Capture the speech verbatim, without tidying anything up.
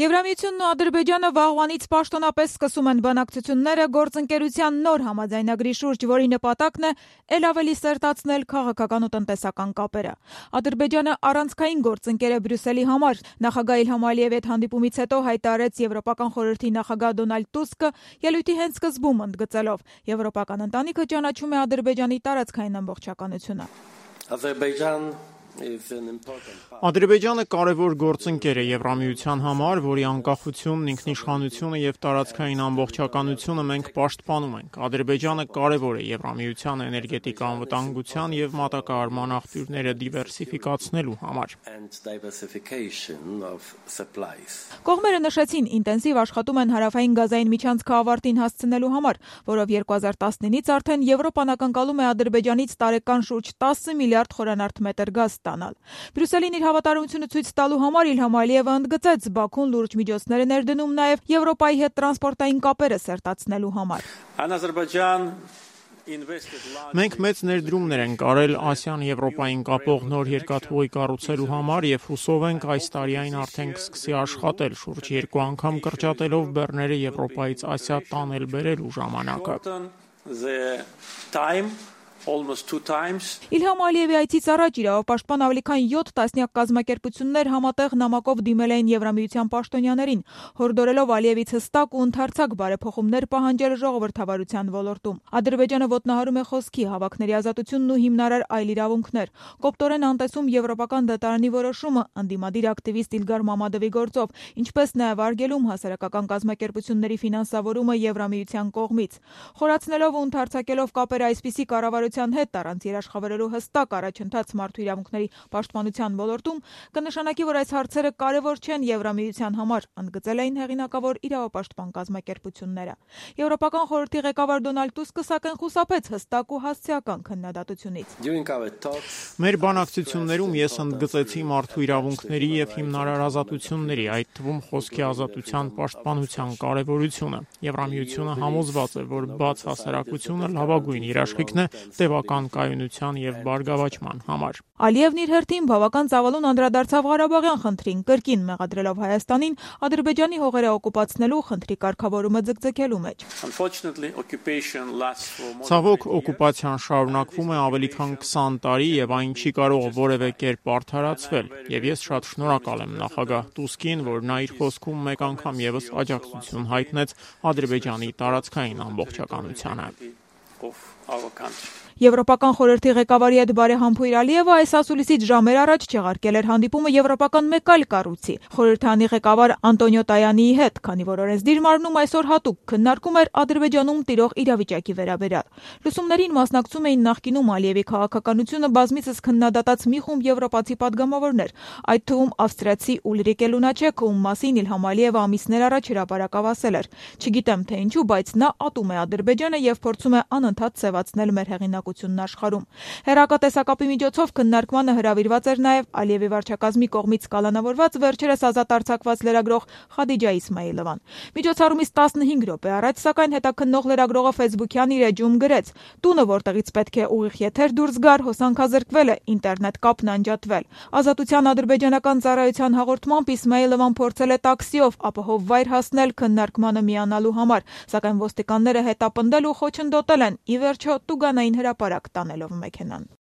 Եվրամիությունն ու Ադրբեջանը վաղուանից պաշտոնապես սկսում են բանակցությունները գործընկերության նոր համաձայնագրի շուրջ, որի նպատակն է ել ավելի սերտացնել քաղաքական ու տնտեսական կապերը։ Ադրբեջանը առանցքային գործընկեր է Բրյուսելի համար։ Նախագահ Իլհամ Ալիևի հետ հանդիպումից հետո հայտարարեց Եվրոպական խորհրդի նախագահ Դոնալդ Տուսկը, ելույթի հենց սկզբում ընդգծելով. Եվրոպական ընտանիքը ճանաչում է Ադրբեջանի տարածքային ամբողջականությունը։ Ադրբեջանը կարևոր գործընկեր է Եվրամիության համար, որի անկախությունն, ինքնիշխանությունը եւ տարածքային ամբողջականությունը մենք պաշտպանում ենք։ Ադրբեջանը կարևոր է Եվրամիության էներգետիկ անվտանգության եւ մատակարարման աղբյուրները դիվերսիֆիկացնելու համար։ Կողմերը նշեցին, ինտենսիվ աշխատում են հարավային գազային միջանցքը ավարտին հասցնելու համար, որով երկու հազար տասնինից արդեն Եվրոպան ակնկալում է Ադրբեջանից տարեկան շուրջ տասը միլիարդ խորանարդ մետր գազ ստանալ։ Բրյուսելին իր հավատարմությունը ցույց տալու համար Իլհամ Ալիևը ընդգծեց Բաքուն լուրջ միջոցներ է ներդնում նաև Եվրոպայի հետ տրանսպորտային կապերը սերտացնելու համար։ Մենք մեծ ներդրումներ ենք արել Ասիան-Եվրոպային կապող նոր երկաթուղի կառուցելու համար եւ հուսով ենք այս տարի այն արդեն կսկսի աշխատել, շուրջ երկու անգամ կրճատելով բեռները Եվրոպայից Ասիա տանել-բերելու ժամանակը։ Իլհամ Ալիևի այցից առաջ իրավապաշտպան ավելի քան յոթ տասնյակ կազմակերպություններ համատեղ նամակով դիմել էին Եվրամիության պաշտոնյաներին, հորդորելով Ալիևից հստակ ու ընդարձակ բարեփոխումներ պահանջել ժողովրդավարության ոլորտում։ Ադրբեջանը ոտնահարում է խոսքի, հավաքների ազատությունն ու հիմնարար այլ իրավունքներ, կոպտորեն անտեսում Եվրոպական դատարանի որոշումը ընդդիմադիր ակտիվիստ Իլգար Մամադովի գործով, ինչպես նաև արգելում հասարակական կազմակերպությունների ֆինանսավորումը Եվրամիության կողմից։ Խորացնելով ու ընդարձակելով կապերը այսպիսի կառավարության հետ առանց երաշխավորելու հստակ առաջընթաց մարդու իրավունքների պաշտպանության ոլորտում կնշանակի, որ այս հարցերը կարևոր չեն Եվրամիության համար, ընդգծել էին հեղինակավոր իրավապաշտպան կազմակերպությունները։ Եվրոպական խորհրդի ղեկավար Դոնալդ Տուսկը սակայն խուսափեց հստակ ու հասցեական քննադատությունից։ Մեր բանակցություններում ես ընդգծեցի մարդու իրավունքների եւ հիմնարար ազատությունների, այդ թվում խոսքի ազատության պաշտպանության կարևորությունը։ Եվրամիությունը համոզված է, որ բաց հասարակությունը լավագույն երաշխիքն է տևական կայունության եւ բարգավաճման համար։ Ալիևն իր հերթին բավական ծավալուն անդրադարձավ Ղարաբաղյան խնդրին, կրկին մեղադրելով Հայաստանին Ադրբեջանի հողերը օկուպացնելու խնդրի կարգավորումը ձգձգելու մեջ։ Ցավոք, օկուպացիան շարունակվում է ավելի քան քսան տարի եւ այն չի կարող որևէ կերպ արդարացվել, եւ ես շատ շնորհակալ եմ նախագահ Տուսկին, որ նա իր խոսքում մեկ անգամ եւս աջակցություն հայտնեց Ադրբեջանի տարածքային ամբողջականությանը։ Եվրոպական խորհրդի ղեկավարի հետ բարեհամբույր Ալիևը այս ասուլիսից ժամեր առաջ չեղարկել էր հանդիպումը եվրոպական մեկ այլ կառույցի՝ խորհրդանի ղեկավար Անտոնիո Տայանիի հետ, քանի որ օրենսդիր մարմնում այսօր հատուկ քննարկում էր Ադրբեջանում տիրող իրավիճակի վերաբերյալ։ Լուսումներին մասնակցում էին նախկինում Ալիևի քաղաքականությունը բազմիցս քննադատած մի խումբ եվրոպացի падգամավորներ, այդ թվում ավստրիացի Ուլրիկե Լունաչեկը, ում մասին Իլհամ Ալիևը ամիսներ առաջ հրապարակավ ասել էր. «Չգիտեմ թե ինչու, բայց նա ատում է Ադրբեջանը եւ փորձում է անընդհատ սևացնել մեր հեղինակությունն աշխարհում»։ Հեռակատեսակապի միջոցով քննարկմանը հրավիրված էր նաև Ալիևի վարչակազմի կողմից կալանավորված վերջերս ազատ արձակված լրագրող Խադիջա Իսմայիլովան։ Միջոցառումից տասնհինգ րոպե առաջ, սակայն, հետաքննող լրագրողը Facebook-յան իր էջում գրեց. «Տունը, որտեղից պետք է ուղիղ եթեր դուրս գար, հոսանքազրկվել է, ինտերնետ կապն անջատվել»։ Ազատության ադրբեջանական ծառայության հաղորդմամբ Իսմայիլովան փորձել է տաքսիով ապահով վայր հասնել քննարկմանը միանալու համար, սակայն ոստիկանները հետապնդել ու խոչընդոտել են, ի վերջո տուգանային հրապարակ տանելով մեքենան։